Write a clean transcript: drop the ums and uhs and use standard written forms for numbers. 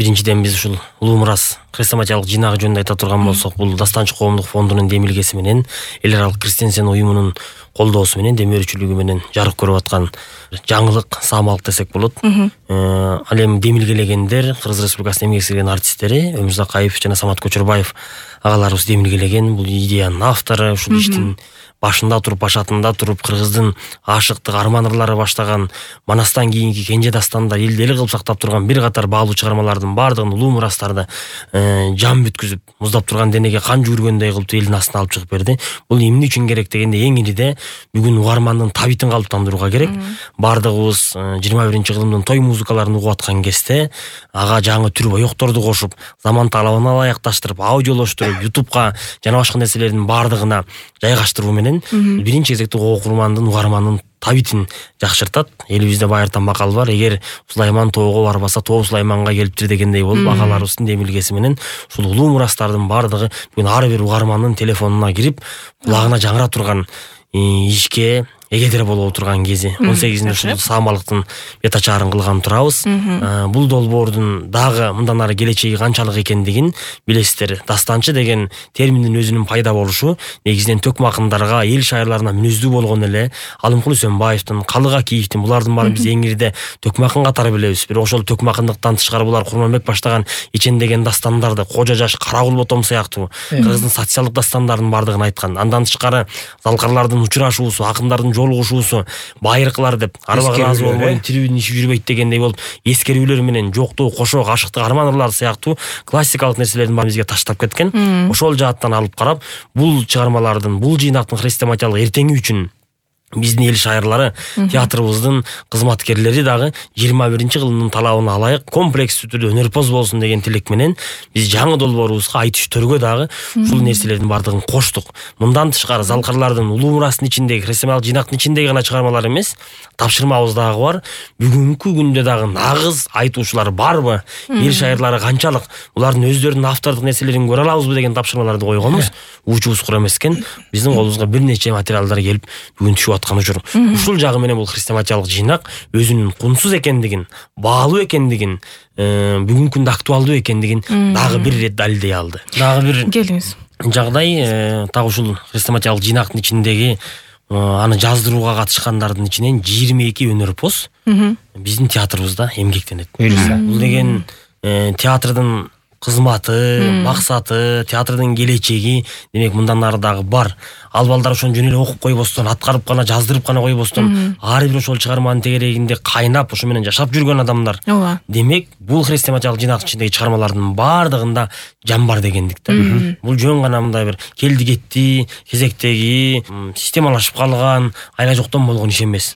Биринчиден биз ушул улуу мурас хрестоматиялык жыйнагы жөнүндө айта турган болсок, бул Дастанчы коомдук фондунун демилгеси менен эл аралык Кристенсен уюмунун колдоосу менен, демөөрчүлүгү менен жарык көрүп аткан жаңылык, саамалык десек болот. Ал эми демилгелегендер Кыргыз Республикасынын эмгек сиңирген артисттери Өмүрзак Акаев жана Самат Көчөрбаев агаларыбыз демилгелеген. Бул идеянын автору, ушул иштин башында туруп, башатында туруп, кыргыздын ашыктык, арман ырлары баштаган Манастан кийинки кенже дастандар элди эл кылып сактап турган бир катар баалуу чыгармалардын баардыгын, улуу мурастарды жан бүткүзүп, муздап турган денеге кан жүгүргөндөй кылып элдин астына алып чыгып берди. Бул эмне үчүн керек дегенде, эң ириде бүгүн угармандын табитин калыптандырууга керек. Баардыгыбыз 21-кылымдын той музыкаларын угуп аткан кезде ага жаңы түр боекторду кошуп, заман талабына ылайыкташтырып, аудиолоштуруп, YouTubeга жана башка нерселердин баардыгына жайгаштыруу менен биринчи кезекте окурмандын, угармандын табитин жакшыртат. Элибизде байыртан макал бар: эгер Сулайман тоого барбаса, тоо Сулайманга келиптир дегендей болуп, агаларыбыздын демилгеси менен ушул улуу мурастардын баардыгы бүгүн ар бир угармандын телефонуна кирип, кулагына жаңыра турган ишке эгедер боло турган кези. 18-нде ушул саамалыктын бет ачаарын кылган турабыз. Бул долбоордун дагы мындан ары келечеги канчалык экендигин билесиздер. Дастанчы деген терминдин өзүнүн пайда болушу негизинен төкмө акындарга, эл шайырларына мүнөздүү болгон эле Алымкул Үсөнбаевдин, Калык Акиевдин, булардын баарын биз эң ириде төкмө акын катары билебиз. Бирок ошол төкмө акындыктан тышкары булар Курманбек баштаган Ичен деген дастандарды, Кожо Жаш, Карагул Ботом сыяктуу кыргыздын социалдык дастандарын баардыгын айткан. Андан тышкары залкарлардын учурашуусу, акындардын жолугушуусу, байыркылар деп арбага ыраазы болбой тирүүнүн иши жүрбөйт дегендей болуп, эскерүүлөр менен жоктоо, кошок, ашыктык, арман ырлар сыяктуу классикалык нерселердин баарын бизге таштап кеткен. Ошол жааттан алып карап, бул чыгармалардын, бул жыйнактын хрестоматиялык эртеңи үчүн биздин эл шайырлары, театрыбыздын кызматкерлери дагы 21-кылымдын талабына ылайык комплекстүү түрдө өнөрпоз болсун деген тилек менен биз жаңы долбоорубузга айтыш төргө дагы ушул нерселердин баардыгын коштук. Мындан тышкары залкарлардын улуу мурастын ичиндеги, хрестоматиялык жыйнактын ичиндеги гана чыгармалар эмес, тапшырмабыз дагы бар. Бүгүнкү күндө дагы нагыз айтуучулар барбы? Эл шайырлары канчалык? Булардын өздөрүнүн автордук нерселерин көрө алабызбы деген тапшырмаларды койгонбуз. Учубуз кура эмес экен. Биздин колубузга бир нече материалдар келип бүгүн түшүп учур. Ушул жагы менен бул хрестоматиялык жыйнак өзүнүн кунсуз экендигин, баалуу экендигин, бүгүнкү күндө актуалдуу экендигин дагы бир ирет далилдей алды. Дагы бир келиңиз. Жагдай так ушул хрестоматиялык жыйнактын ичиндеги аны жаздырууга катышкандардын ичинен 22 өнөрпоз биздин театрыбызда эмгектенет. Бул деген театрдын кызматы, максаты, театрдын келечеги демек мындан ары дагы бар. Ал балдар ошону жөн эле окуп койбостон, аткарып гана, жаздырып гана койбостон, ар бир ошол чыгарманын тегерегинде кайнап, ошо менен жашап жүргөн адамдар. Демек, бул хрестоматиялык жыйнактын ичиндеги чыгармалардын баардыгында жан бар дегендик да. Бул жөн гана мындай бир келди кетти, кезектеги, системалашып калган, айла жоктон болгон иш эмес.